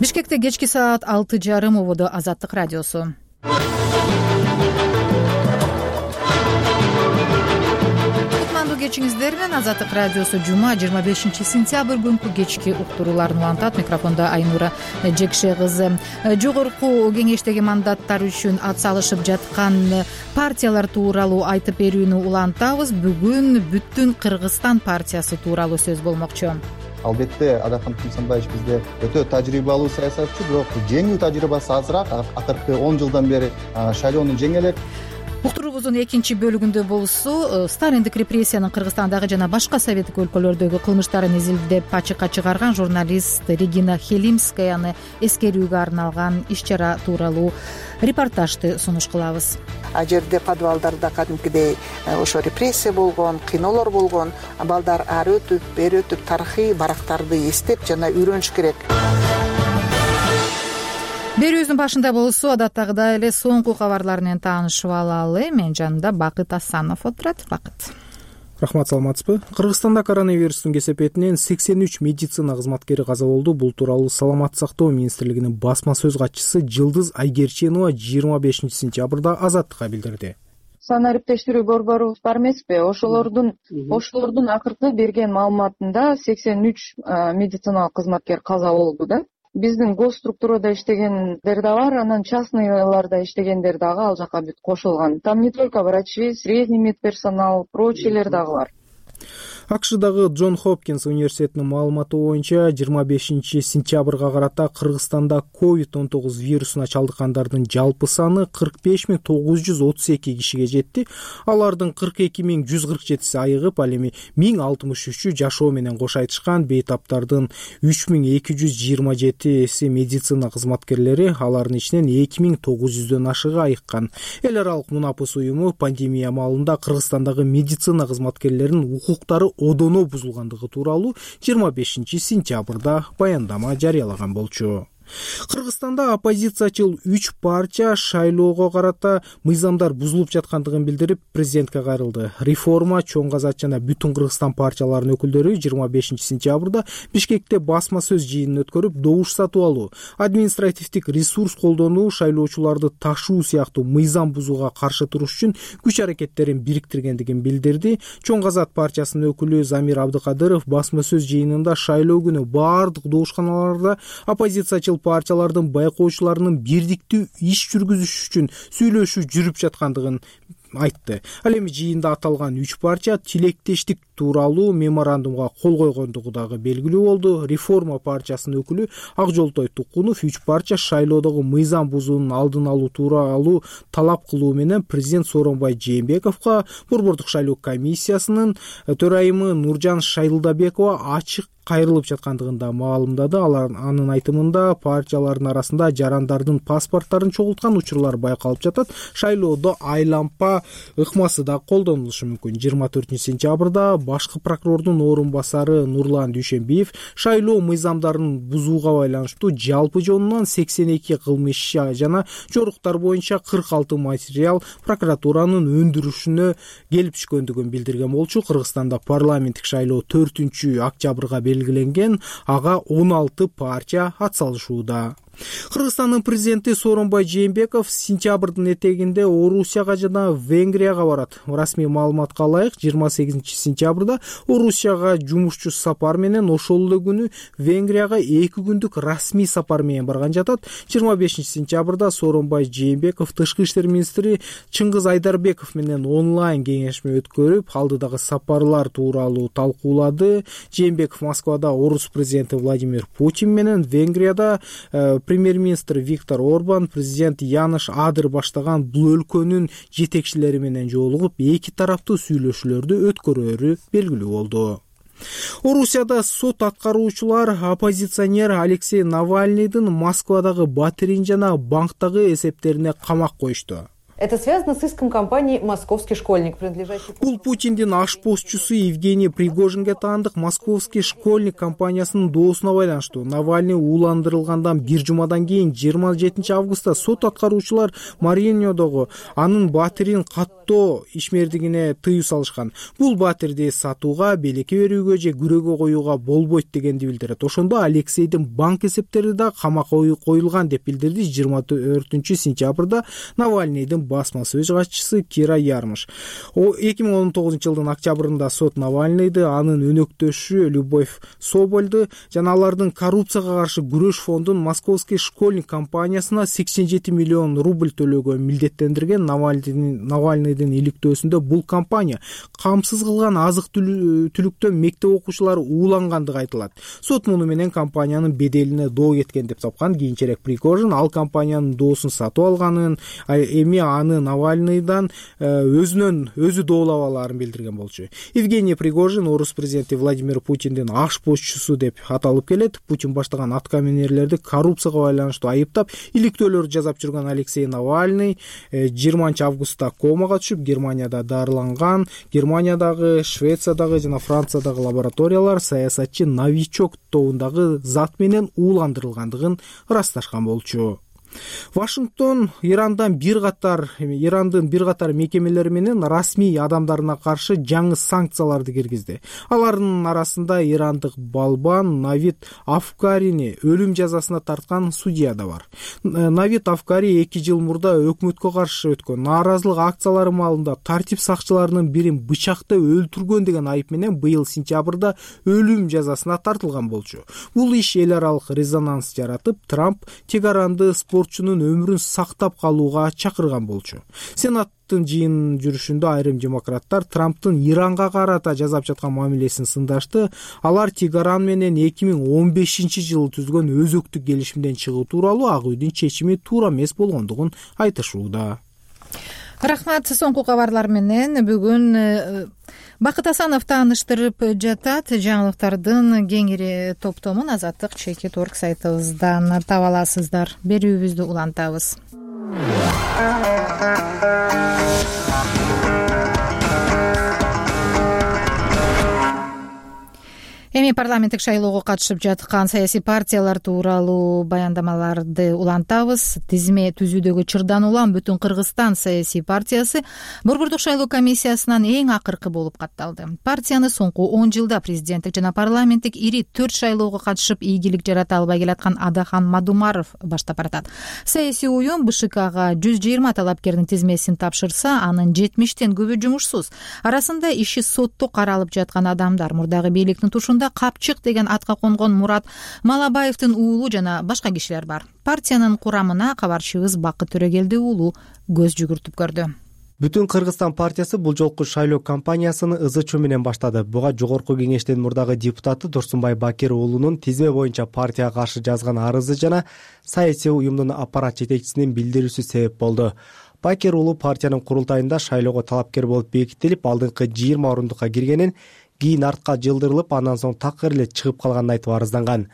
Бишкекте кечки саат 6:30 убуду Азаттык радиосу. Кутмандуу кечиңиздер менен Азаттык радиосу жума 25 сентябрь күнкү кечки уктурууларын улантат. Микрофондо Айнура Жекше кызы. Жогорку кеңештеги мандаттар үчүн ат салышып жаткан партиялар тууралуу айтып берүүнү улантабыз. Бүгүн Бүтүн Кыргызстан партиясы тууралуу сөз болмокчу. Албетте Адакан Тумсанбаевич бизде өтө тажрыйбалуу саясатчы, бирок жеңүү тажрыйбасы азыраак. Акыркы 10 жылдан бери шайлоону жеңе элек. Уктуруубуздун экинчи бөлүгүндө болсу Сталиндик репрессиянын Кыргызстандагы жана башка советтик өлкөлөрдөгү кылмыштарын изилдеп ачыкка чыгарган журналист Регина Хелимскаяны эскерүүгө арналган иш-чара тууралуу репортажды сунуш кылабыз. А жерде подвалдарда кадимкидей ошо репрессия болгон, кыйноолор болгон. Балдар ары өтүп, бери өтүп тарыхый барактарды эстеп жана үйрөнүш керек. Берүүбүздүн башында болсо адаттагыдай эле соңку кабарлар менен таанышып алалы. Мен жанымда Бакыт Асанов отурат. Бакыт. Рахмат, саламатсызбы? Кыргызстанда коронавирустун кесепетинен 83 медицина кызматкери каза болду. Бул тууралуу Саламаттык сактоо министрлигинин басма сөз катчысы Жылдыз Айгерченова 25 сентябрда Азаттыкка билдирди. Сан ариптештирүү борборубуз бар эмеспи? Ошолордун акыркы берген маалыматында 83 медициналык кызматкер каза болду да. Биздин госструктурада иштегендер да бар, анан частныйларда иштегендер дагы ал жака бүт кошулган. Там не только врачи, средний медперсонал, прочийлер дагы бар. АКШдагы Джон Хопкинс университетинин маалыматы боюнча 25 сентябрга карата Кыргызстанда COVID-19 вирусуна чалдыккандардын жалпы саны 45.932 кишиге жетти. Алардын 42.147си айыгып, ал эми 1063-ü жашоо менен кош айтышкан. Бейтаптардын 3227си медицина кызматкерлери, алардын ичинен 2900дөн ашыгы айыккан. Эл аралык Мунапыс уюму пандемия маалында Кыргызстандагы медицина кызматкерлеринин укуктары одоно бузулгандыгы тууралуу 25 сентябрда баяндама жарыялаган болчу. Кыргызстанда оппозициячыл 3 партия шайлоого карата мыйзамдар бузулуп жаткандыгын билдирип, президентке кайрылды. Реформа, Чоң Казак жана Бүтүн Кыргызстан партияларынын өкүлдөрү 25 сентябрда Бишкекте басма сөз жыйынын өткөрүп, добуш сатып алуу, административдик ресурс колдонуу, шайлоочуларды ташуу сыяктуу мыйзам бузууга каршы туруш үчүн күч аракеттерин бириктиргендигин билдирди. Чоң Казак партиясынын өкүлү Замир Абдыкадыров басма сөз жыйынында шайлоо күнү баардык добушканаларда оппозициячыл партиялардын байкоочуларынын бирдиктүү иш жүргүзүш үчүн сүйлөшүү жүрүп жаткандыгын айтты. Ал эми жыйында аталган 3 партия тилектештик тууралуу меморандумга кол койгондугу дагы белгилүү болду. Реформа партиясынын өкүлү Акжолтой Тукунов 3 партия шайлоодогу мыйзам бузуунун алдын алуу тууралуу талап кылуу менен президент Сооронбай Жээнбековго, борбордук шайлоо комиссиясынын төрайымы Нуржан Шайлдабекова ачык кайрылып жаткандыгында маалымдады. Анын айтымында партиялардын арасында жарандардын паспорттарын чогулткан учурлар байкалып жатат. Шайлоодо айлампа ыкмасы да колдонулушу мүмкүн. 24 сентябрда башкы прокурордун орун басары Нурлан Дүйшөнбиев шайлоо мыйзамдарын бузууга байланыштуу жалпы жонунан 82 кылмыш жана жоруктар боюнча 46 материал прокуратуранын өндүрүшүнө келип түшкөндүгүн билдирген болчу. Кыргызстанда парламенттик шайлоо 4-октябрга белгиленген, ага 16 партия атсалышууда. Кыргызстандын президенти Сооронбай Жээнбеков сентябрдын этегинде Орусияга жана Венгрияга барат. Расмий маалыматка ылайык, 28 сентябрда Орусияга жумушчу сапар менен, ошол эле күнү Венгрияга 2 күндүк расмий сапар менен барган жатат. 25 сентябрда Сооронбай Жээнбеков тышкы иштер министри Чыңгыз Айдарбеков менен онлайн кеңешме өткөрүп, алдыдагы сапарлар тууралуу талкуулады. Жээнбеков Москвада Орус президенти Владимир Путин менен, Венгрияда премьер-министр Виктор Орбан, президент Яныш Адыр баштаган бул өлкөнүн жетекчилери менен жолугуп, эки тараптуу сүйлөшүүлөрдү өткөрөөрү белгилүү болду. Орусияда сот аткаруучулар оппозиционер Алексей Навальныйдын Москвадагы батирин жана банктагы эсептерине камак коюшту. Это связано с иском компании «Московский школьник», принадлежащий... Бул Путиндин ашпозчусу Евгений Пригожинге таандык «Московский школьник» компаниясынын доосуна байланыштуу. Навальный ууландырылгандан бир жумадан кийин 27 августта сот аткаруучулар Мариньодогу анын батирин каттоо ишмердигине тыюу салышкан. Бул батирди сатууга, белекке берүүгө же күрөөгө коюуга болбойт дегенди билдирет. Ошондо Алексейдин банк эсептери да камакка коюлган деп билдирди 24 сентябрда Навальныйдын басма сөз катчысы Кира Ярмыш. 2019 жылдын октябрында сот Навальныйды, анын өнөктөшү Любовь Собольду жана алардын коррупцияга каршы күрөш фондун «Московский школьник» компаниясына 87 миллион рубль төлөөгө милдеттендирген. Навальныйдын иликтөөсүндө бул компания камсыз кылган азык-түлүктөн мектеп окуучулары уулангандыгы айтылат. Сот муну менен компаниянын беделине доо кеткен деп тапкан. Кийинчерээк Пригожин ал компаниянын доосун сатып алганын, эми аны Навальныйдан өзү доолап алаарын билдирген болчу. Евгений Пригожин орус президенти Владимир Путиндин ашпозчусу деп аталып келет. Путин баштаган аткаминерлерди коррупцияга байланыштуу айыптап, иликтөөлөр жасап жүргөн Алексей Навальный 20 августта комага түшүп, Германияда дарыланган. Германиядагы, Швециядагы жана Франциядагы лабораториялар саясатчы новичок тобундагы зат менен ууландырылгандыгын ырасташкан болчу. Вашингтон Ирандын бир катар мекемелери менен расмий адамдарына каршы жаңы санкцияларды киргизди. Алардын арасында ирандык балбан Навид Афкарини өлүм жазасына тарткан судья да бар. Навид Афкари 2 жыл мурда өкмөткө каршы өткөн нааразылык акциялары маалында тартип сакчыларынын бирин бычактап өлтүргөн деген айып менен быйыл сентябрда өлүм жазасына тартылган болчу. Бул иш эл аралык резонанс жаратып, Трамп Тегаранды спортчунун өмүрүн сактап калууга чакырган болчу. Сенаттын жыйын жүрүшүндө айрым демократтар Трамптын Иранга карата жасап жаткан мамилесин сындашты. Алар Тегеран менен 2015-жылы түзгөн өзөктүк келишимден чыгуу тууралуу Ак үйдүн чечими туура эмес болгондугун айтышууда. Рахмат. Соңку кабарлар менен бүгүн Бакыт Асанов тааныштырып жатат. Жаңылыктардын кеңири топтомун Азаттык Чекит.орг сайтыбыздан таба аласыздар. Берүүбүздү улантабыз. Эми парламенттик шайлоого катышып жаткан саясий партиялар тууралуу баяндамаларды улантабыз. Тизме түзүүдөгү чырдан улам Бүтүн Кыргызстан саясий партиясы Борбордук шайлоо комиссиясынан эң акыркы болуп катталды. Партияны соңку 10 жылда президенттик жана парламенттик ири 4 шайлоого катышып ийгилик жарата албай келаткан Адахан Мадумаров баштап баратат. Саясий уюм БШКга 120 талапкердин тизмесин тапшырса, анын 70тен көбү жумушсуз. Арасында иши сотто каралып жаткан адамдар, мурдагы бийликтин тушунда Капчык деген атка конгон Мурат Малабаевдин уулу жана башка кишилер бар. Партиянын курамына кабарчыбыз Бакыт Төрөгелди уулу көз жүгүртүп көрдү. Бүтүн Кыргызстан партиясы бул жолку шайлоо кампаниясыны ызы-чуу менен баштады. Буга жогорку кеңештин мурдагы депутаты Турсунбай Бакир уулунун тизме боюнча партияга каршы жазган арызы жана саясий уюмдун аппарат жетекчисинин билдирүүсү себеп болду. Бакир уулу партиянын курултайында шайлоого талапкер болуп бекитилип, алдыңкы 20 орундукка киргенин, кийин артка жылдырылып, андан соң такыр эле чыгып калганын айтып арызланган.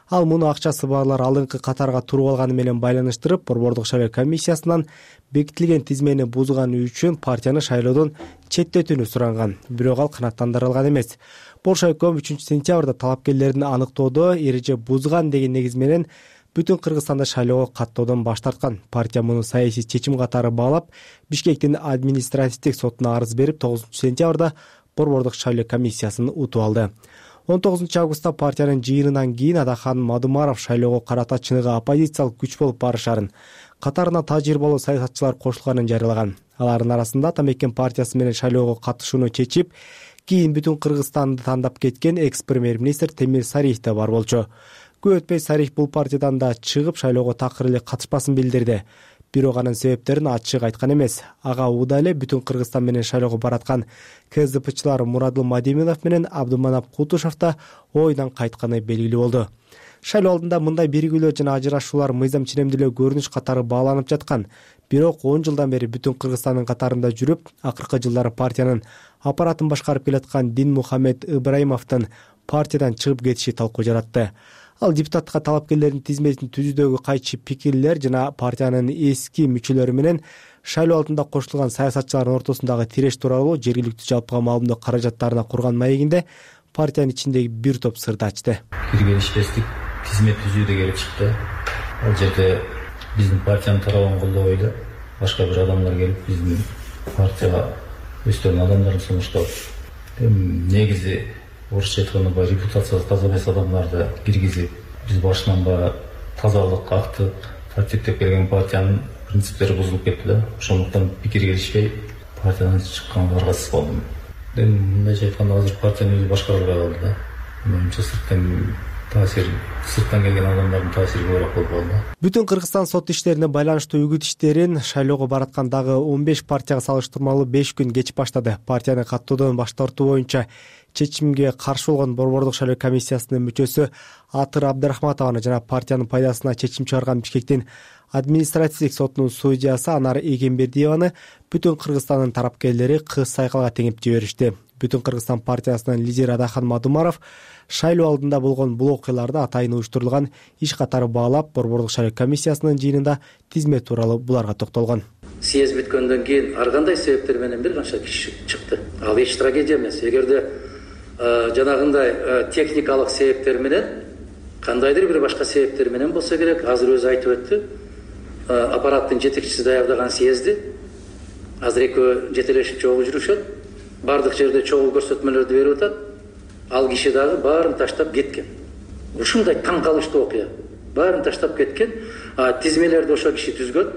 Ал муну акчасы барлар алдыңкы катарга туруп алганы менен байланыштырып, Борбордук шайлоо комиссиясынан бекитилген тизмени бузганы үчүн партияны шайлоодон четтетүүнү суранган. Бирок ал канааттандырылган эмес. Болшойком 3-сентябрда талапкерлердин аныктоодо эреже бузган деген негиз менен Бүтүн Кыргызстанда шайлоого каттоодон баш тарткан. Партия муну саясий чечим катары баалап, Бишкектин административдик сотуна арыз берип, 9-сентябрда Борбордук шайлоо комиссиясын утуп алды. 19 августта партиянын жыйынынан кийин Адахан Мадумаров шайлоого карата чыныгы оппозициялык күч болуп барышарын, катарына тажрыйбалуу саясатчылар кошулганын жарыялаган. Алардын арасында Атамекен партиясы менен шайлоого катышууну чечип, кийин Бүтүн Кыргызстанды тандап кеткен экс-премьер-министр Темир Сариев да бар болчу. Көп өтпөй Сариев бул партиядан да чыгып шайлоого такыр эле катышпасын билдирди. Бирок анын себептерин ачык айткан эмес. Ага ууда эле Бүтүн Кыргызстан менен шайлоого бараткан КСДПчылар Мурадыл Мадиминов менен Абдуманап Кутушев да ойдон кайтканы белгилүү болду. Шайлоо алдында мындай биригүүлөр жана ажырашуулар мыйзам ченемдүүлөө көрүнүш катары бааланып жаткан. Бирок 10 жылдан бери Бүтүн Кыргызстандын катарында жүрүп, акыркы жылдары партиянын аппаратын башкарып келаткан Дин Мухаммед Ибраимовдун партиядан чыгып кетиши талкуу жаратты. Ал депутаттыкка талапкерлердин тизмесин түзүүдөгү кайчы пикирлер жана партиянын эски мүчөлөрү менен шайлоо алдында кошулган саясатчылардын ортосундагы тиреш тууралуу жергиликтүү жалпыга маалымдоо каражаттарына курган маегинде партиянын ичиндеги бир топ сырды ачты. Киргелишпестик тизме түзүүдө келип чыкты. Ал жерде биздин партиянын тарабын колдобой эле башка бир адамдар келип биздин партияга өздөрүнүн адамдарын сунуштап, негизи орусча айтканда баягы репутациясы таза эмес адамдарды киргизип, биз башынан баягы тазалык, актык, тартиптеп келген партиянын принциптери бузулуп кетти да. Ошондуктан пикир келишпей партиядан чыкканга аргасыз болдум. Мындайча айтканда азыр партиянын өзү башкарылбай калды да. Менимче сырттан келген адамдардын таасири көбүрөөк болуп калды. Бүтүн Кыргызстан сот иштерине байланыштуу үгүт иштерин шайлоого бараткан дагы 15 партияга салыштырмалуу 5 күн кеч баштады. Партияны каттоодон баш тартуу боюнча чечимге каршы болгон Борбордук шайлоо комиссиясынын мүчөсү Атыр Абдрахматованы жана партиянын пайдасына чечим чыгарган Бишкектин административдик сотунун судьясы Анар Эгембердиеваны бүтүн Кыргызстандын тарапкерлери кыз сайкалга теңип жиберишти. Бүтүн Кыргызстан партиясынын лидери Адахан Мадумаров шайлоо алдында болгон бул окуяларды атайын уюштурулган иш катары баалап, Борбордук шайлоо комиссиясынын жыйынында тизме тууралуу буларга токтолгон. Съезд бүткөндөн кийин ар кандай себептер менен бир канча киши чыкты. Ал эч трагедия эмес. Эгерде жанагындай техникалык себептер менен, кандайдыр бир башка себептер менен болсо керек, азыр өзү айтып өттү. Аппараттын жетекчиси даярдаган съезди азыр экөө жетелешип чогуу жүрүшөт. Бардык жерде чогуу көрсөтмөлөрдү берип атат. Ал киши дагы баарын таштап кеткен. Ушундай таң калыштуу окуя. Баарын таштап кеткен. Тизмелерди ошо киши түзгөн.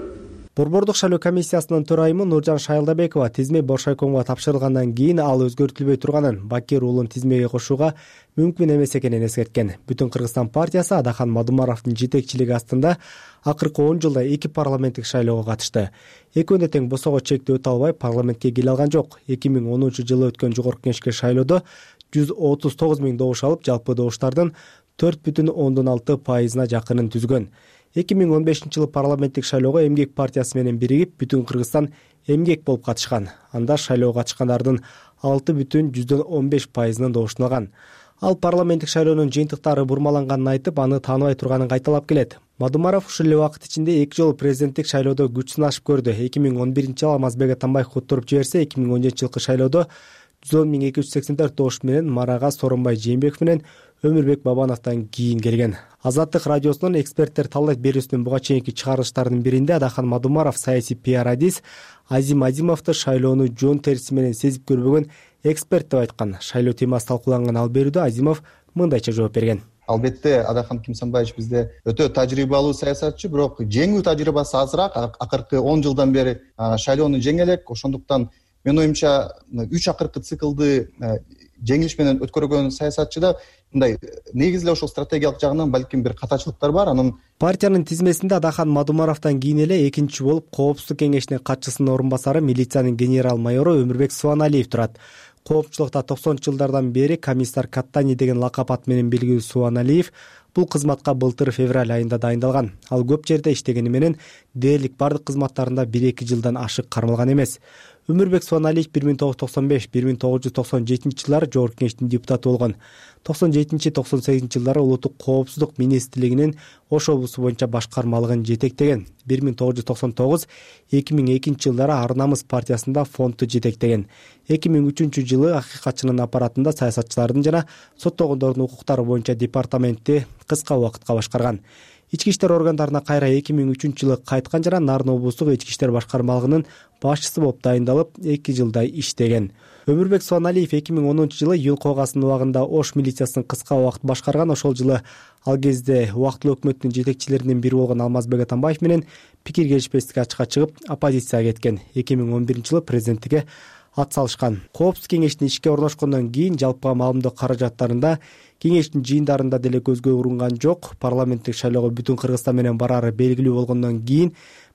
Борбордук шайлоо комиссиясынын төрайымы Нуржан Шайлдабекова тизме Боршайкомго тапшырылгандан кийин ал өзгөртүлбөй турганын, Бакир уулун тизмеге кошууга мүмкүн эмес экенин эскерткен. Бүтүн Кыргызстан партиясы Адахан Мадумаровдун жетекчилиги астында акыркы 10 жылда 2 парламенттик шайлоого катышты. Экөөнө тең босого чекти өтө албай парламентке келе алган жок. 2010-жылы өткөн жогорку кеңешке шайлоодо 139 000 добуш алып, жалпы добуштардын 4,6% жакынын түзгөн. 2015-жылы парламенттик шайлоого Эмгек партиясы менен биригип, Бүтүн Кыргызстан Эмгек болуп катышкан. Анда шайлоого катышкандардын 6,15%-нын добушун алган. Ал парламенттик шайлоонун жыйынтыктары бурмаланганын айтып, аны тааныбай турганын кайталап келет. Мадумаров ушул эле убакыт ичинде 2 жолу президенттик шайлоодо күч сынашып көрдү. 2011-жылы Алмазбек Атамбаев уттуруп жиберсе, 2017-жылкы шайлоодо 110,284 добуш менен Марага Сооронбай Жээнбеков менен Өмүрбек Бабановдон кийин келген. Азаттык радиосунун эксперттер талдайт берүүсүнүн буга чейинки чыгарылыштарынын биринде Адахан Мадумаров саясий пиар-адис Азим Азимовду шайлоону жон териси менен сезип көрбөгөн эксперт деп айткан. Шайлоо темасы талкууланган ал берүүдө Азимов мындайча жооп берген. Албетте Адахан Кимсанбаевич бизде өтө тажрыйбалуу саясатчы, бирок жеңүү тажрыйбасы азыраак. Акыркы 10 жылдан бери шайлоону жеңе элек. Ошондуктан менин оюмча 3 акыркы циклды жеңилиш менен өткөргөн саясатчыда мындай негизи эле ошол стратегиялык жагынан балким бир катачылыктар бар. Анын партиянын тизмесинде Адахан Мадумаровдон кийин эле экинчи болуп Коопсуздук кеңешинин катчысынын орун басары милициянын генерал-майору Өмүрбек Субаналиев турат. Коопчулукта 90-жылдардан бери комиссар Каттани деген лакап ат менен белгилүү Субаналиев бул кызматка былтыр февраль айында дайындалган. Ал көп жерде иштегени менен дээрлик бардык кызматтарында 1-2 жылдан ашык кармалган эмес. Өмүрбек Субаналиев 1995-1997 жылдары жогорку кеңештин депутаты болгон. 97-98 жылдары улуттук коопсуздук министрлигинин Ош облусу боюнча башкармалыгын жетектеген. 1999-2002 жылдары Ар Намыс партиясында фондду жетектеген. 2003 жылы Акыйкатчынын аппаратында саясатчылардын жана соттогондордун укуктары боюнча департаментти кыска убакытка башкарган. Ички иштер органдарына кайра 2003 жылы кайткан жана Нарын облустук ички иштер башкармалыгынын башчысы болуп дайындалып, 2 жылдай иштеген. Өмүрбек Субаналиев 2010 жылы июль когасынын убагында Ош милициясын кыска убакыт башкарган. Ошол жылы ал кезде убактылуу өкмөттүн жетекчилеринин бири болгон Алмазбек Атамбаев менен пикир келишпестикке ачыкка чыгып, оппозицияга кеткен. 2011 жылы президенттикке ат салышкан. Коопсуздук кеңештин ишке орношкондон кийин жалпыга маалымдоо каражаттарында кеңештин жыйындарында деле көзгө урунган жок. Парламенттик шайлоого Бүтүн Кыргызстан менен барары белгилүү болгондон кийин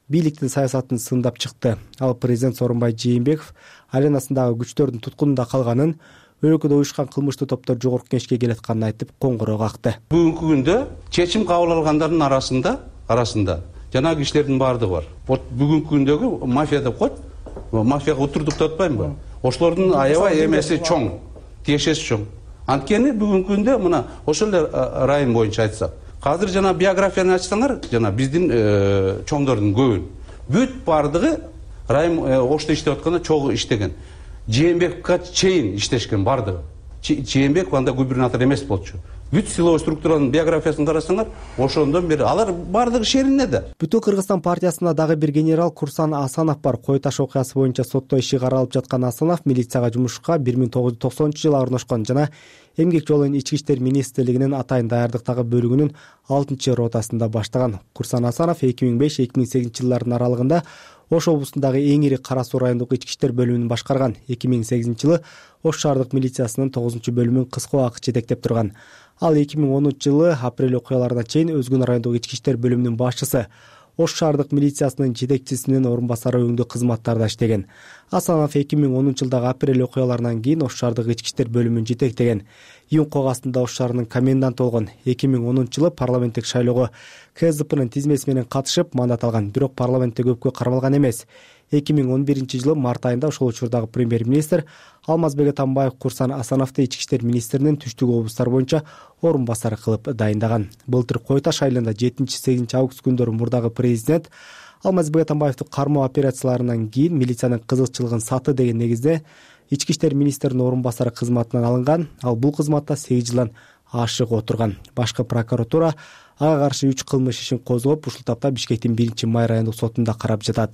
бийликтин саясатын сындап чыкты. Ал президент Сооронбай Жээнбеков аренасындагы күчтөрдүн туткунунда калганын, өлкөдө уюшкан кылмыштуу топтор жогорку кеңешке келатканын айтып, коңгуроо какты. Бүгүнкү күндө чечим кабыл алгандардын арасында жанагы кишилердин баардыгы бар. Вот бүгүнкү күндөгү мафия деп коет. Мафияга утурдук деп атпаймынбы? Ошолордун аябай эмеси чоң, тиешеси чоң. Анткени бүгүнкү күндө мына ошол эле район боюнча айтсак, Азыр жана биографияны ачсаңар, жана биздин чоңдордун көбүн бүт бардыгы райым Ошто иштеп атканда чогуу иштеген. Жээнбековго чейин иштешкен бардыгы. Жээнбеков анда губернатор эмес болчу. Бүт силовой структуранын биографиясын карасаңар, ошондон бери алар бардыгы шеринеде. Бүтүн Кыргызстан партиясында дагы бир генерал Курсан Асанов бар. Кой таш окуясы боюнча сотто иши каралып жаткан Асанов милицияга жумушка 1990-жылы орношкон жана эмгек жолунун ички иштер министрлигинин атайын даярдыктагы бөлүгүнүн 6-ротасында баштаган. Курсан Асанов 2005-2008 жылдардын аралыгында Ош облусундагы эң ири Кара Суу райондук ички иштер бөлүмүн башкарган. 2008-жылы Ош шаардык милициясынын 9-бөлүмүн кыска убакыт жетектеп турган. Ал 2010-жылы апрель окуяларына чейин Өзгөн райондук ички иштер бөлүмүнүн башчысы, Ош шаардык милициясынын жетекчисинин орун басары өңдүү кызматтарда иштеген. Асанов 2010-жылдагы апрель окуяларынан кийин Ош шаардык ички иштер бөлүмүн жетектеген. Июнь когасында Ош шаарынын коменданты болгон. 2010-жылы парламенттик шайлоого КСДПнын тизмеси менен катышып мандат алган, бирок парламентте көпкө кармалган эмес. 2011-жылы март айында ошол учурдагы премьер-министр Алмазбек Атамбаев Курсан Асановду ички иштер министринин түштүк облустар боюнча орун басары кылып дайындаган. Былтыр Кой таш айылында 7-8 август күндөрү мурдагы президент Алмазбек Атамбаевди кармоо операцияларынан кийин милициянын кызыкчылыгын сатты деген негизде ички иштер министринин орун басары кызматынан алынган. Ал бул кызматта 8 жылдан ашык отурган. Башкы прокуратура ага каршы 3 кылмыш ишин козгоп, ушул тапта Бишкектин 1-май райондук сотунда карап жатат.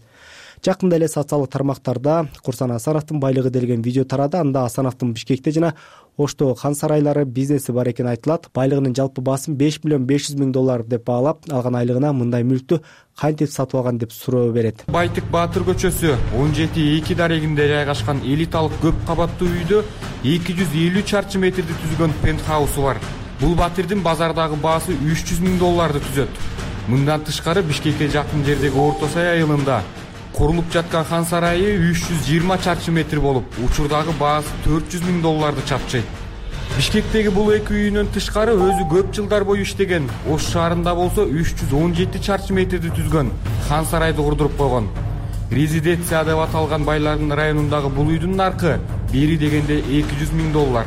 Жакында эле социалдык тармактарда Курсан Асановдун байлыгы делген видео тарады. Анда Асановдун Бишкекте жана Оштогу хан сарайлары бизнеси бар экени айтылат. Байлыгынын жалпы баасын $5,500,000 деп баалап, алган айлыгына мындай мүлктү кантип сатып алган деп суроо берет. Байтык Баатыр көчөсү 17-2 дарегинде жайгашкан элиталык көп кабаттуу үйдө 250 чарчы метрди түзгөн пентхаусу бар. Бул батирдин базардагы баасы $300,000 түзөт. Мындан тышкары Бишкекке жакын жердеги Орто Сай айылында курулуп жаткан хан сарайы 320 чарчы метр болуп, учурдагы баасы $400,000 чапчайт. Бишкектеги бул эки үйүнөн тышкары өзү көп жылдар бою иштеген Ош шаарында болсо 317 чарчы метрди түзгөн хан сарайды курдуруп койгон. Резиденция деп аталган байлардын районундагы бул үйдүн наркы бери дегенде $200,000.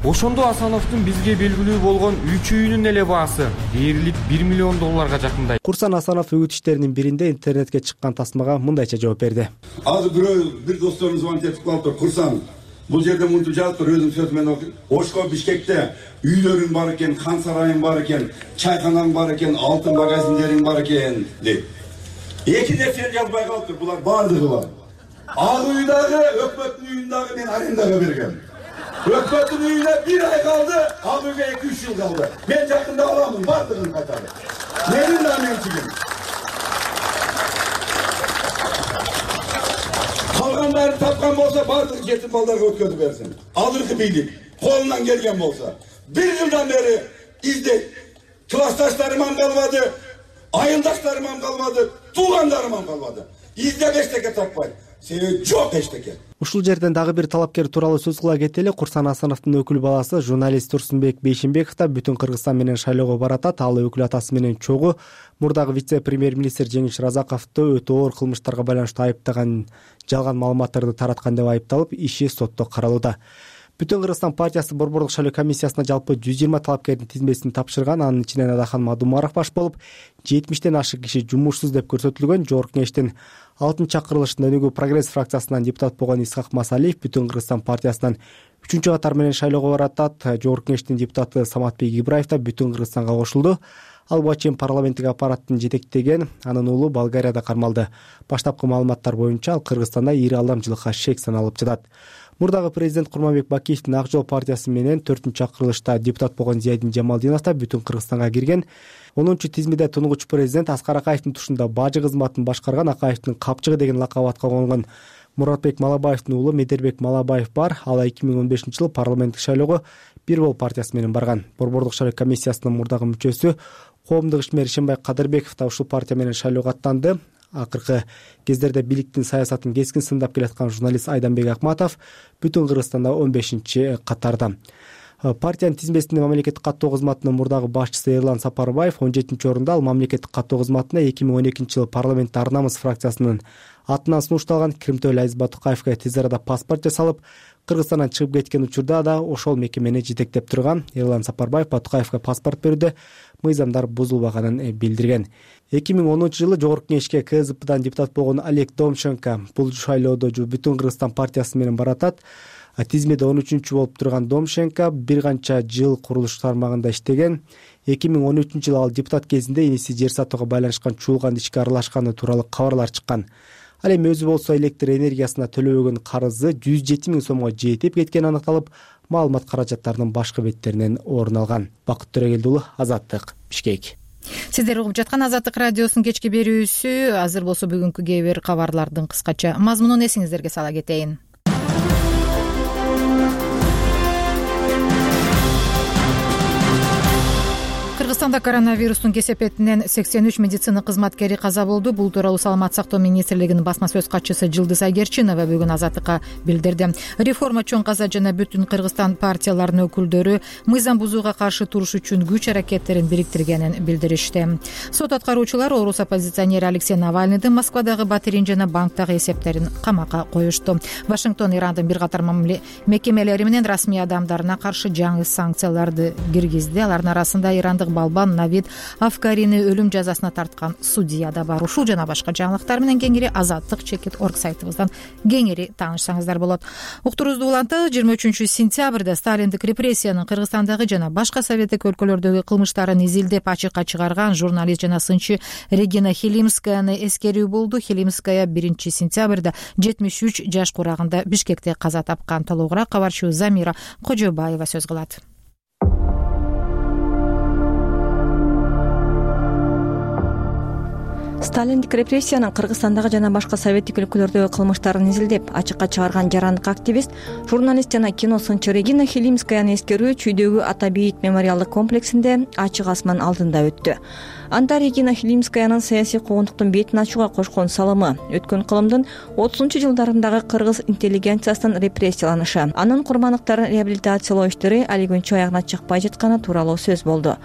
Ошондо Асановдун бизге белгилүү болгон 3 үйүнүн эле баасы дээрлик $1 миллион жакындай. Курсан Асанов үгүт иштеринин биринде интернетке чыккан тасмага мындайча жооп берди. Азыр бир досторум звонить этип калыптыр. Курсан, бул жерде мынтип жазыптыр, өзүм сөзү менен окуйм. Ошко Бишкекте үйлөрүң бар экен, хан сарайың бар экен, чайканаң бар экен, алтын магазиндериң бар экен деп. Эки нерсени жазбай калыптыр. Булар бардыгы бар. Ак үй дагы, өкмөттүн үйүн дагы мен арендага бергем. Өкмөттүн үйүнө 1 ай калды, ал үйгө 2-3 жыл калды. Мен жакында аламын, бардыгын кайтарды. Менин да менчигим. Калгандарын тапкан болсо бардыгы жетим балдарга өткөрүп берсин. Азыркы бийлик колунан келген болсо 1 жылдан бери издейт. Классташтарым калбады, айылдаштарым калбады, туугандарым калбады. Издеп эчтеке таппайт. Себеби жок эчтеке. Ушул жерден дагы бир талапкер тууралуу сөз кыла кетели. Курсан Асановдун өкүл баласы журналист Турсунбек Бейшимбеков да бүтүн Кыргызстан менен шайлоого баратат. Ал өкүл атасы менен чогуу мурдагы вице-премьер-министр Жеңиш Разаковду өтө оор кылмыштарга байланыштуу айыптаган, жалган маалыматтарды тараткан деп айыпталып, иши сотто каралууда. Бүтүн Кыргызстан партиясы борбордук шайлоо комиссиясына жалпы 120 талапкердин тизмесин тапшырган. Анын ичинен Адахан Мадумаров баш болуп, 70тен ашык киши жумушсуз деп көрсөтүлгөн. Жогорку кеңештин 6-чакырылышында Өнүгүү прогресс фракциясынан депутат болгон Исхак Масалиев бүтүн Кыргызстан партиясынан 3-катар менен шайлоого баратат. Жогорку кеңештин депутаты Саматбек Ибраев да бүтүн Кыргызстанга кошулду. Ал буга чейин парламенттик аппараттын жетектеген, анын уулу Болгарияда кармалды. Баштапкы маалыматтар боюнча ал Кыргызстанда ири алдамчылыкка шек саналып жатат. Мурдагы президент Курманбек Бакиевдин Ак жол партиясы менен 4-чакырылышта депутат болгон Зиядин Жамалдинов да бүтүн Кыргызстанга кирген. 10-тизмеде тунугуч президент Аскар Акаевдин тушунда бажы кызматын башкарган. Акаевдин капчыгы деген лакап атка конгон Муратбек Малабаевдин уулу Медербек Малабаев бар. Ал 2015-жылы парламенттик шайлоого Бир Бол партиясы менен барган. Борбордук шайлоо комиссиясынын мурдагы мүчөсү коомдук ишмер Ишенбай Кадырбеков да ушул партия менен шайлоого аттанды. Акыркы кездерде бийликтин саясатын кескин сындап келаткан журналист Айданбек Акматов бүтүн Кыргызстанда 15-катарда. Партиянын тизмесинде мамлекеттик каттоо кызматынын мурдагы башчысы Эрлан Сапарбаев 17-орунда. Ал мамлекеттик каттоо кызматына 2012-жылы парламентте Ар намыс фракциясынын атынан сунушталган Киримтөөлү Азиз Батукаевге тез арада паспорт жасалып, Кыргызстандан чыгып кеткен учурда да ошол мекемени жетектеп турган Эрлан Сапарбаев Батукаевга паспорт берүүдө мыйзамдар бузулбаганын билдирген. 2010-жылы Жогорку Кеңешке КСДПдан депутат болгон Олег Домченко бул шайлоодо Бүтүн Кыргызстан партиясы менен баратат. Тизмеде 13-чү болуп турган Домченко бир канча жыл курулуш тармагында иштеген. 2013-жылы ал депутат кезинде иниси жер сатууга байланышкан чуулган ишке аралашканы тууралуу кабарлар чыккан. Ал эми өзү болсо электр энергиясына төлөбөгөн карызы 107 000 сомго жетип кеткени аныкталып, маалымат каражаттарынын башкы беттеринен орун алган. Бакыт Төрөгелди уулу, Азаттык, Бишкек. Сиздер угуп жаткан Азаттык радиосунун кечки берүүсү. Азыр болсо бүгүнкү кээ бир кабарлардын кыскача мазмунун эсиңиздерге сала кетейин. Кыргызстанда коронавирустун кесепетинен 83 медицина кызматкери каза болду. Бул тууралуу Саламаттык сактоо министрлигинин басма сөз катчысы Жылдыз Айгерчинова бүгүн Азаттыкка билдирди. Реформа чоң каза жана Бүтүн Кыргызстан партияларынын өкүлдөрү мыйзам бузууга каршы туруш үчүн күч аракеттерин бириктиргенин билдиришти. Сот аткаруучулар орус оппозиционери Алексей Навальныйдын Москвадагы батирин жана банктагы эсептерин камакка коюшту. Вашингтон Ирандын бир катар мекемелери менен расмий адамдарына каршы жаңы санкцияларды киргизди. Алардын арасында ирандык Балбан Навид Афкарини өлүм жазасына тарткан судья да бар. Ушул жана башка жаңылыктар менен кеңири Азаттык.org сайтыбыздан кеңири таанышсаңыздар болот. Уктуруубузду уланталы 23-сентябрда Сталиндик репрессиянын Кыргызстандагы жана башка советтик өлкөлөрдөгү кылмыштарын изилдеп ачыкка чыгарган журналист жана сынчы Регина Хилимскаяны эскерүү болду. Хилимская 1-сентябрда 73 жаш курагында Бишкекте каза тапкан. Толугураак кабарчыбыз Замира Кожобаева сөз кылат. Сталиндик репрессиянын Кыргызстандагы жана башка советтик өлкөлөрдөгү кылмыштарын изилдеп ачыкка чыгарган жарандык активист, журналист жана кино сынчы Регина Хилимскаяны эскерүү Чүйдөгү Ата Бейит мемориалдык комплексинде ачык асман алдында өттү. Анда Регина Хилимскаянын саясий куугунтуктун бетин ачууга кошкон салымы, өткөн кылымдын 30-жылдарындагы кыргыз интеллигенциясынын репрессияланышы, анын курмандыктарын реабилитациялоо иштери али күнчө аягына чыкпай жатканы тууралуу сөз болду.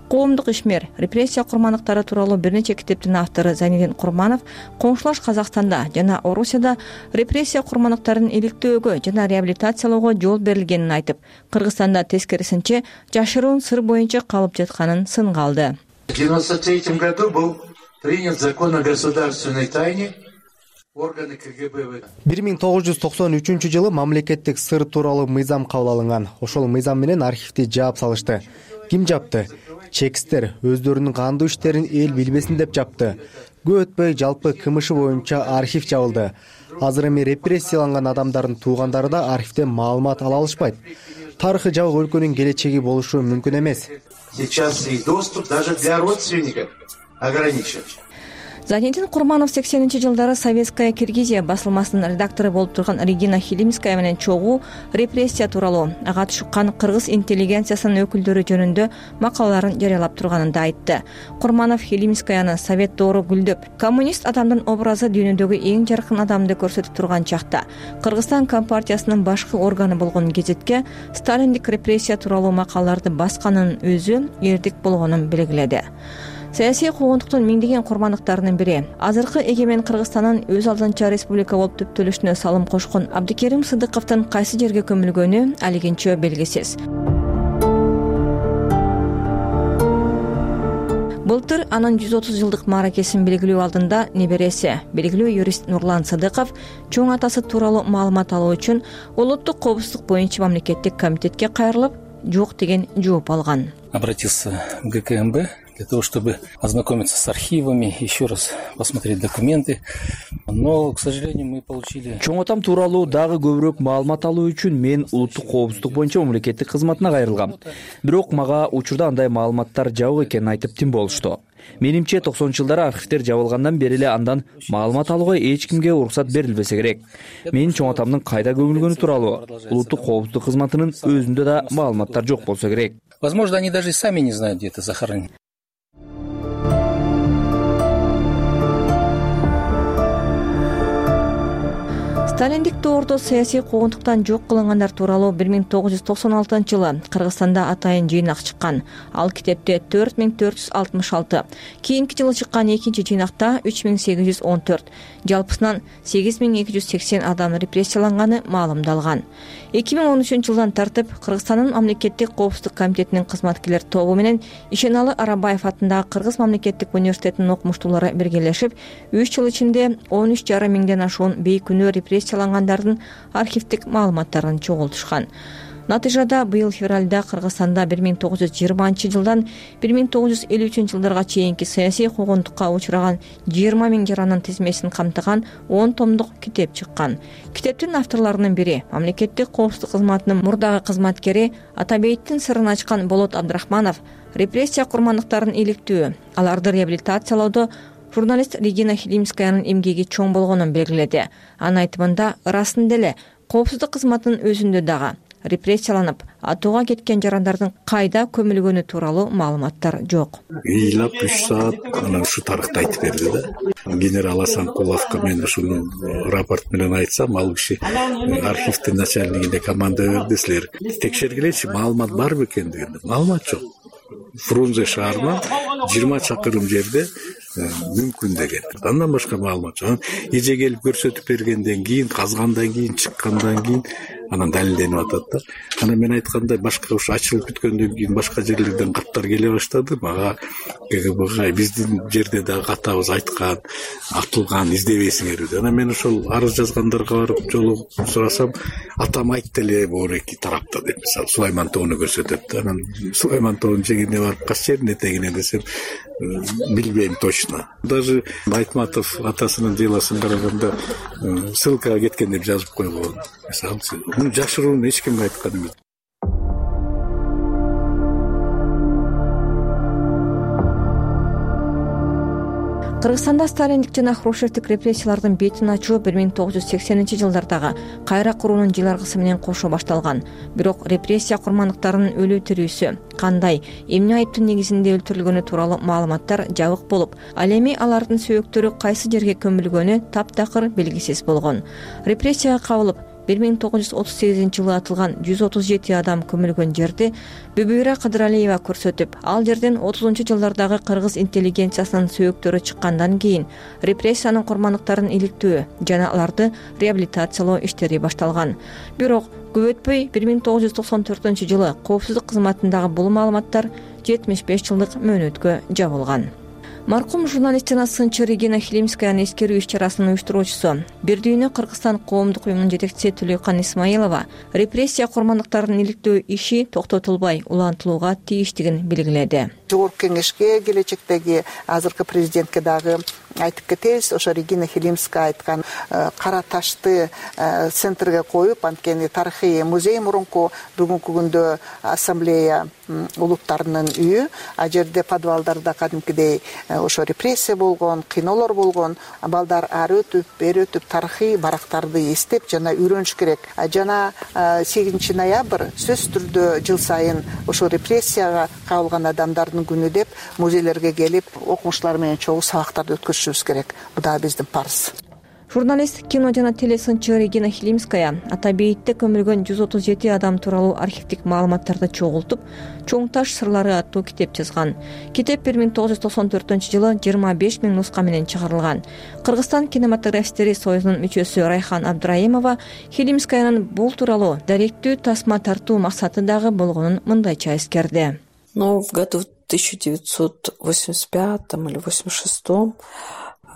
Коомдук ишмер, репрессия курмандыктары тууралуу бир нече китептин автору Зайнидин Курманов коңшулаш Казакстанда жана Орусияда репрессия курмандыктарын иликтөөгө жана реабилитациялоого жол берилгенин айтып, Кыргызстанда тескерисинче жашыруун сыр боюнча калып жатканын сынга алды. В 1993 году был принят закон о государственной тайне. 1993-жылы мамлекеттик сыр тууралуу мыйзам кабыл алынган. Ошол мыйзам менен архивди жаап салышты. Ким жапты? Чекистер өздөрүнүн кандуу иштерин эл билбесин деп жапты. Көп өтпөй жалпы КМШ боюнча архив жабылды. Азыр эми репрессияланган адамдардын туугандары да архивден маалымат ала алышпайт. Тарыхы жабык өлкөнүн келечеги болушу мүмкүн эмес. Сейчас и доступ даже для родственников ограничен. Зайнидин Курманов 80-жылдары Советская Киргизия басылмасынын редактору болуп турган Регина Хилимская менен чогуу репрессия тууралуу ага чыккан кыргыз интеллигенциясынын өкүлдөрү жөнүндө макалаларын жарыялап турганын да айтты. Курманов Хилимскаяны совет доору гүлдөп, коммунист адамдын образы дүйнөдөгү эң жаркын адамды көрсөтүп турган чакта Кыргызстан компартиясынын башкы органы болгон гезетке Сталиндик репрессия тууралуу макалаларды басканын өзү эрдик болгонун белгиледи. Саясий куугунтуктун миңдеген курмандыктарынын бири, азыркы эгемен Кыргызстандын өз алдынча республика болуп түптөлүшүнө салым кошкон Абдикерим Сыдыковдун кайсы жерге көмүлгөнү алигинчө белгисиз. Былтыр анын 130 жылдык мааракесин белгилөө алдында небереси, белгилүү юрист Нурлан Сыдыков чоң атасы тууралуу маалымат алуу үчүн Улуттук коопсуздук боюнча мамлекеттик комитетке кайрылып, жок деген жооп алган. Обратился в ГКМБ для того, чтобы ознакомиться с архивами, еще раз посмотреть документы. Но, к сожалению, мы получили... Чоң атам тууралуу дагы көбүрөөк маалымат алуу үчүн мен улуттук коопсуздук боюнча мамлекеттик кызматына кайрылгам. Бирок мага учурда андай маалыматтар жабык экенин айтып тим болушту. Менимче 90-жылдары архивдер жабылгандан бери эле андан маалымат алууга эч кимге уруксат берилбесе керек. Менин чоң атамдын кайда көмүлгөнү тууралуу улуттук коопсуздук кызматынын өзүндө да маалыматтар жок болсо керек. Возможно, они даже сами не знают, где это захоронено. сталиндик доордо саясий куугунтуктан жок кылынгандар тууралуу 1996-жылы Кыргызстанда атайын жыйнак чыккан. Ал китепте 4466, кийинки жылы чыккан экинчи жыйнакта 3814, жалпысынан 8280 адам репрессияланганы маалымдалган. 2013-жылдан тартып Кыргызстандын мамлекеттик коопсуздук комитетинин кызматкерлер тобу менен Ишеналы Арабаев атындагы Кыргыз мамлекеттик университетинин окумуштуулары биргелешип 3 жыл ичинде 13,5 миңден ашуун бейкүнөө репрессиялангандардын архивдик маалыматтарын чогултушкан. Натыйжада быйыл февралда Кыргызстанда 1920-жылдан 1953-жылдарга чейинки саясий куугунтукка учураган 20 миң жаранын тизмесин камтыган 10 томдук китеп чыккан. Китептин авторлорунун бири мамлекеттик коопсуздук кызматынын мурдагы кызматкери Атабейиттин сырын ачкан Болот Абдрахманов репрессия курмандыктарын иликтөө, аларды реабилитациялоодо журналист Регина Хилимскаянын эмгеги чоң болгонун белгиледи. Анын айтымында ырасында эле коопсуздук кызматынын өзүндө дагы репрессияланып, атууга кеткен жарандардын кайда көмүлгөнү тууралуу маалыматтар жок. Ыйлап 3 саат анан ушу тарыхты айтып берди да. Генерал Асанкуловго мен ушуну рапорт менен айтсам, ал киши архивдин начальнигине команда берди, силер текшергилечи, маалымат барбы экен деген. Маалымат жок. Фрунзе шаарынан 20 чакырым жерде мүмкүн деген. Андан башка маалымат жок. Эже келип көрсөтүп бергенден кийин, казгандан кийин, чыккандан кийин анан далилденип атат да. Анан мен айткандай башка ушу ачылып бүткөндөн кийин башка жерлерден каттар келе баштады. Мага КГБга биздин жерде дагы катабыз айткан, атылган, издебейсиңер деп. Анан мен ошол арыз жазгандарга барып жолугуп сурасам, атам айтты эле бул эки тарапта деп, мисалы Сулайман тоону көрсөтөт да. Анан Сулайман тоонун жегине барып кайсы жердин этегине десем, билбейм точно. Даже Айтматов атасынын делосын караганда ссылкага кеткен деп жазып койгон. Мисалы жашыруун эч кимге айткан эмес. Кыргызстанда сталиндик жана хрущевдик репрессиялардын бетин ачуу 1980-жылдардагы кайра куруунун жыларгысы менен кошо башталган. Бирок репрессия курмандыктарынын өлүү тирүүсү, кандай, эмне айыптын негизинде өлтүрүлгөнү тууралуу маалыматтар жабык болуп, ал эми алардын сөөктөрү кайсы жерге көмүлгөнү таптакыр белгисиз болгон. Репрессияга кабылып 1938-жылы атылган 137 адам көмүлгөн жерди Бүбүйра Кадыралиева көрсөтүп, ал жерден 30-жылдардагы кыргыз интеллигенциясынын сөөктөрү чыккандан кийин репрессиянын курмандыктарын иликтөө жана аларды реабилитациялоо иштери башталган. Бирок көп өтпөй 1994-жылы коопсуздук кызматындагы бул маалыматтар 75 жылдык мөөнөткө жабылган. Маркум журналист жана сынчы Регина Хилимскаянын эскерүү иш-чарасынын уюштуруучусу, Бир дүйнө Кыргызстан коомдук уюмунун жетекчиси Түлөкан Исмаилова репрессия курмандыктарын иликтөө иши токтотулбай улантылууга тийиштигин белгиледи. Жогорку кеңешке, келечектеги азыркы президентке дагы айтып кетебиз. Ошо Регина Хилимская айткан кара ташты центрге коюп, анткени тарыхый музей мурунку бүгүнкү күндө ассамблея улуттарынын үйү, а жерде подвалдарда кадимкидей ошо репрессия болгон, кыйноолор болгон, балдар ары өтүп, бери өтүп тарыхый барактарды эстеп жана үйрөнүш керек. Жана 8 ноябрь сөзсүз түрдө жыл сайын ошо репрессияга кабылган адамдардын күнү деп музейлерге келип, окумуштуулар менен чогуу сабактарды өткөзүшүбүз керек. Бул да биздин парыз. Журналист, кино жана телесынчы Регина Хилимская Атабейитте көмүлгөн 137 адам тууралуу архивдик маалыматтарды чогултуп, Чоң таш сырлары аттуу китеп жазган. Китеп 1994-жылы 25 миң нуска менен чыгарылган. Кыргызстан кинематографисттери союзунун мүчөсү Райхан Абдраимова Хилимскаянын бул тууралуу даректүү тасма тартуу максаты дагы болгонун мындайча эскерди. Но в году 1985 или 86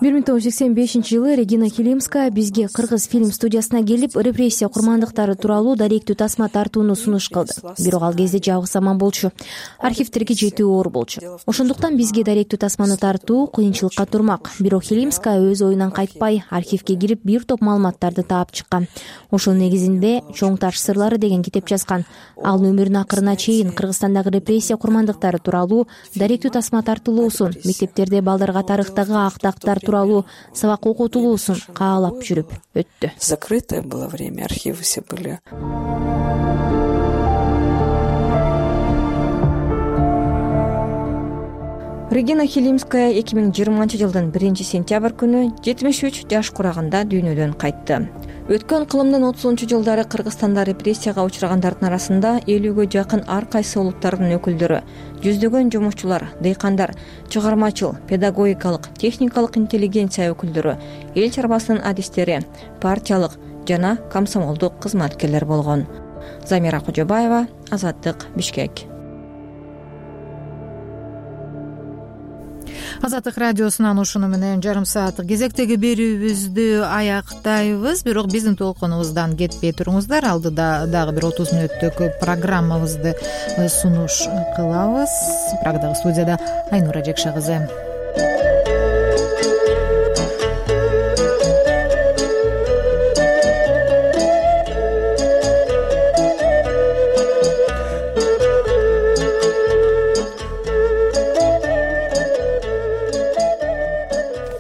1985-жылы Регина Хилимская бизге Кыргыз фильм студиясына келип, репрессия курмандыктары тууралуу даректүү тасма тартууну сунуш кылды. Бирок ал кезде жабык заман болчу. Архивдерге жетүү оор болчу. Ошондуктан бизге даректүү тасманы тартуу кыйынчылыкка турмак. Бирок Хилимская өз оюнан кайтпай, архивге кирип бир топ маалыматтарды таап чыккан. Ошонун негизинде Чоң таш сырлары деген китеп жазган. Ал өмүрүнүн акырына чейин Кыргызстандагы репрессия курмандыктары тууралуу даректүү тасма тартылуусун, мектептерде балдарга тарыхтагы актактар тууралуу сабак окутулуусун каалап жүрүп өттү. Закрытое было время, архивы все были. Регина Хилимская 2020-жылдын 1-сентябрь күнү 73 жаш курагында дүйнөдөн кайтты. Өткөн кылымдын 30-жылдары Кыргызстанда репрессияга учурагандардын арасында 50-гө жакын ар кайсы улуттардын өкүлдөрү, жүздөгөн жумушчулар, дыйкандар, чыгармачыл, педагогикалык, техникалык интеллигенция өкүлдөрү, эл чарбасынын адистери, партиялык жана комсомолдук кызматкерлер болгон. Замира Кожобаева, Азаттык, Бишкек. Азаттык радиосунан ушуну менен жарым сааттык кезектеги берүүбүздү аяктайбыз. Бирок биздин толкунубуздан кетпей туруңуздар. Алдыда дагы бир 30 мүнөттүк программабызды сунуш кылабыз. Прагдагы студияда Айнура Жекше кызы.